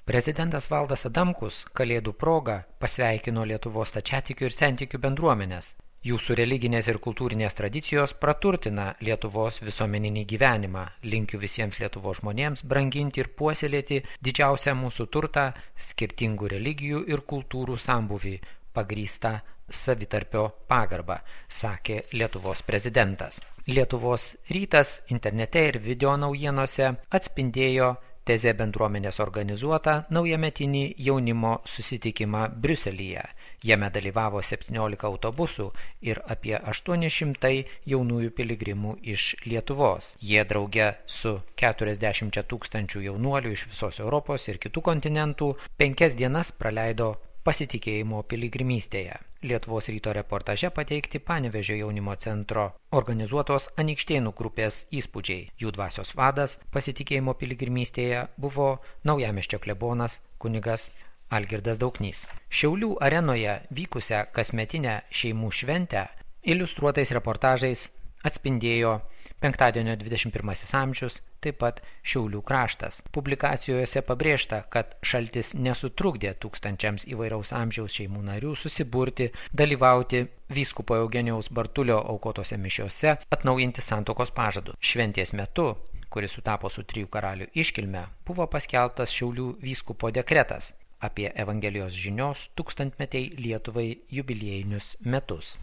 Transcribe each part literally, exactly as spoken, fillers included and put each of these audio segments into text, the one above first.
Prezidentas Valdas Adamkus Kalėdų proga pasveikino Lietuvos stačiatikių ir sentikių bendruomenės. Jūsų religinės ir kultūrinės tradicijos praturtina Lietuvos visuomeninį gyvenimą. Linkiu visiems Lietuvos žmonėms branginti ir puoselėti didžiausią mūsų turtą, skirtingų religijų ir kultūrų sambūvį, pagrįstą savitarpio pagarbą, sakė Lietuvos prezidentas. Lietuvos rytas internete ir video naujienose atspindėjo Tezė bendruomenės organizuotą naujametinį jaunimo susitikimą Briuselyje. Jame dalyvavo septyniolika autobusų ir apie aštuoni šimtai jaunųjų piligrimų iš Lietuvos. Jie drauge su keturiasdešimt tūkstančių jaunuolių iš visos Europos ir kitų kontinentų penkias dienas praleido pasitikėjimo piligrimystėje. Lietuvos ryto reportaže pateikti Panevėžio jaunimo centro organizuotos Anykštėnų grupės įspūdžiai. Jų dvasios vadas pasitikėjimo piligrimystėje buvo Naujamiesčio klebonas kunigas Algirdas Dauknys. Šiaulių arenoje vykusią kasmetinę šeimų šventę iliustruotais reportažais atspindėjo penktadienio dvidešimt pirmasis amžius, taip pat Šiaulių kraštas. Publikacijose pabrėžta, kad šaltis nesutrukdė tūkstančiams įvairaus amžiaus šeimų narių susiburti, dalyvauti vyskupo Eugenijaus Bartulio aukotose mišiose, atnaujinti santuokos pažadus. Šventės metu, kuris sutapo su trijų karalių iškilme, buvo paskelbtas Šiaulių vyskupo dekretas apie Evangelijos žinios tūkstantmetei Lietuvai jubiliejinius metus.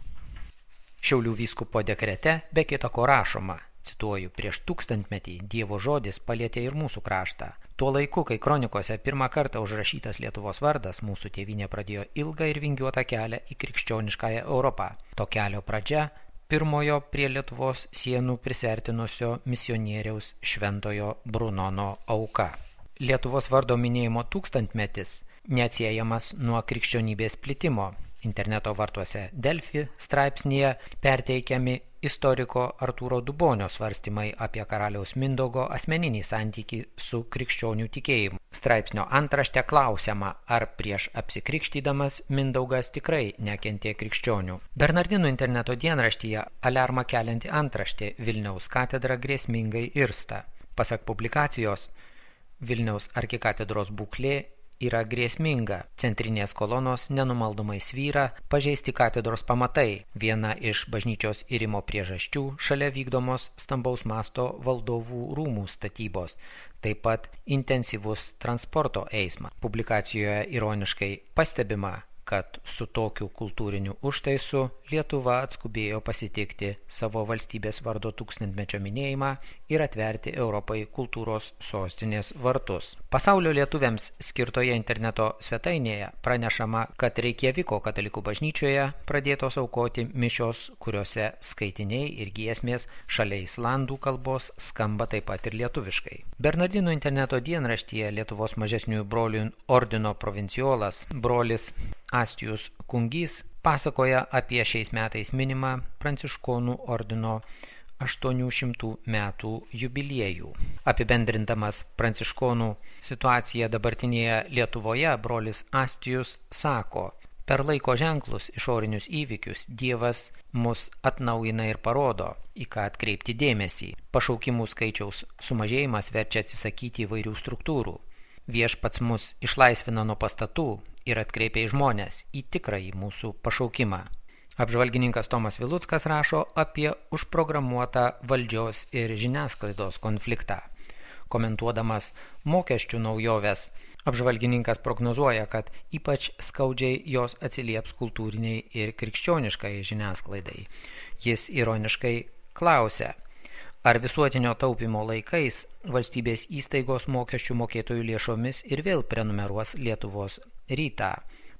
Šiaulių vyskupo dekrete be kita ko rašoma, cituoju, prieš tūkstantmetį Dievo žodis palietė ir mūsų kraštą. Tuo laiku, kai kronikose pirmą kartą užrašytas Lietuvos vardas, mūsų tėvynė pradėjo ilgą ir vingiuotą kelią į krikščioniškąją Europą. To kelio pradžia pirmojo prie Lietuvos sienų prisertinusio misionieriaus Šventojo Brunono auka. Lietuvos vardo minėjimo tūkstantmetis neatsiejamas nuo krikščionybės plitimo. Interneto vartuose Delfi straipsnyje perteikiami istoriko Artūro Dubonio svarstymai apie karaliaus Mindaugo asmeninį santykį su krikščionių tikėjimu. Straipsnio antrašte klausiama, ar prieš apsikrikštydamas Mindaugas tikrai nekentė krikščionių. Bernardinų interneto dienraštyje aliarmą kelianti antraštė Vilniaus katedra grėsmingai irsta. Pasak publikacijos, Vilniaus arkikatedros būklė yra grėsminga. Centrinės kolonos nenumaldomai svyra, pažeisti katedros pamatai. Viena iš bažnyčios irimo priežasčių šalia vykdomos stambaus masto valdovų rūmų statybos. Taip pat intensyvus transporto eismas. Publikacijoje ironiškai pastebima, kad su tokiu kultūriniu užtaisu Lietuva atskubėjo pasitikti savo valstybės vardo tūkstantmečio minėjimą ir atverti Europai kultūros sostinės vartus. Pasaulio lietuviams skirtoje interneto svetainėje pranešama, kad Reikjaviko katalikų bažnyčioje pradėtos aukoti mišios, kuriuose skaitiniai ir giesmės šalia islandų kalbos skamba taip pat ir lietuviškai. Bernardinų interneto dienraštyje Lietuvos mažesniųjų brolių ordino provinciolas brolis Astijus Kungys pasakoja apie šiais metais minimą Pranciškonų ordino aštuonių šimtų metų jubiliejų. Apibendrindamas Pranciškonų situaciją dabartinėje Lietuvoje, brolis Astijus sako, per laiko ženklus išorinius įvykius Dievas mus atnaujina ir parodo, į ką atkreipti dėmesį. Pašaukimų skaičiaus sumažėjimas verčia atsisakyti įvairių struktūrų. Viešpats mus išlaisvina nuo pastatų ir atkreipia į žmonės į tikrąjį mūsų pašaukimą. Apžvalgininkas Tomas Viluckas rašo apie užprogramuotą valdžios ir žiniasklaidos konfliktą. Komentuodamas mokesčių naujoves, apžvalgininkas prognozuoja, kad ypač skaudžiai jos atsilieps kultūriniai ir krikščioniškai žiniasklaidai. Jis ironiškai klausia, ar visuotinio taupimo laikais valstybės įstaigos mokesčių mokėtojų lėšomis ir vėl prenumeruos Lietuvos rytą.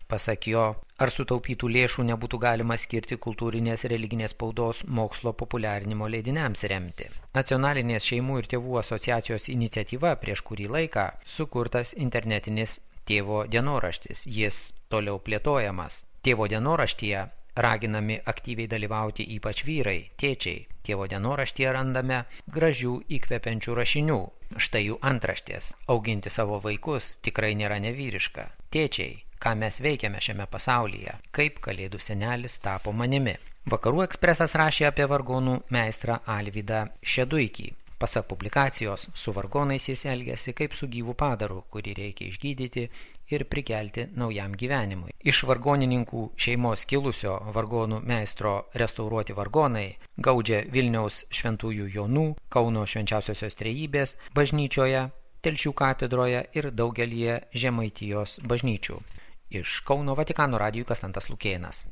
Pasak jo, ar sutaupytų lėšų nebūtų galima skirti kultūrinės religinės spaudos mokslo populiarinimo leidiniams remti. Nacionalinės šeimų ir tėvų asociacijos iniciatyva prieš kurį laiką sukurtas internetinis tėvo dienoraštis. Jis toliau plėtojamas. Tėvo dienoraštyje raginami aktyviai dalyvauti ypač vyrai, tėčiai. Tėvo dienoraštyje randame gražių įkvepiančių rašinių. Štai jų antraštės. Auginti savo vaikus tikrai nėra nevyriška. Tėčiai, ką mes veikiame šiame pasaulyje, kaip kalėdų senelis tapo manimi. Vakarų ekspresas rašė apie vargonų meistrą Alvydą Šeduikį. Pasak publikacijos, su vargonais jis elgiasi kaip su gyvu padaru, kurį reikia išgydyti ir prikelti naujam gyvenimui. Iš vargonininkų šeimos kilusio vargonų meistro restauruoti vargonai gaudžia Vilniaus Šventųjų Jonų, Kauno Švenčiausiosios Trejybės bažnyčioje, Telšių katedroje ir daugelyje Žemaitijos bažnyčių. Iš Kauno Vatikano radijui Konstantas Lukėnas.